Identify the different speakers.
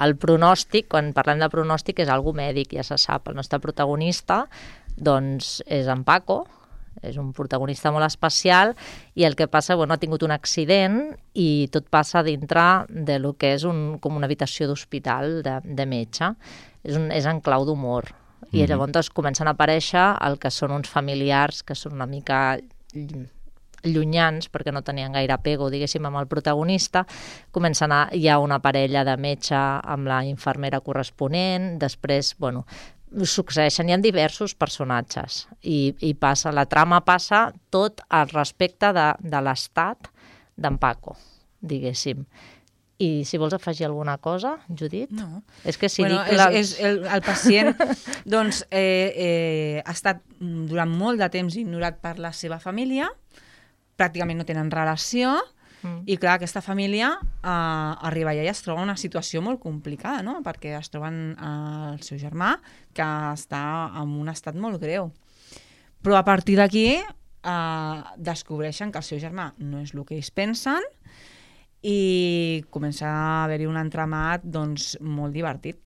Speaker 1: el pronòstic, quan parlem de pronòstic, és algo mèdic, ja se sap. El nostre protagonista doncs, és en Paco, és un protagonista molt especial i el que passa, ha tingut un accident i tot passa dintre de lo que és com una habitació d'hospital de metge. És en clau d'humor. I llavors comencen a aparèixer el que són uns familiars que són una mica llunyans perquè no tenien gaire apego, diguéssim, amb el protagonista. Hi ha una parella de metge amb la infermera corresponent, després, succeeixen, hi ha diversos personatges i la trama passa tot al respecte de l'estat d'en Paco, diguéssim. I si vols afegir alguna cosa, Judit?
Speaker 2: No.
Speaker 1: És que si dic...
Speaker 2: El pacient doncs, ha estat durant molt de temps ignorat per la seva família, pràcticament no tenen relació, i clar, aquesta família arriba allà i es troba en una situació molt complicada, no? Perquè es troben el seu germà, que està en un estat molt greu. Però a partir d'aquí descobreixen que el seu germà no és el que ells pensen i comença a haver-hi un entramat doncs, molt divertit.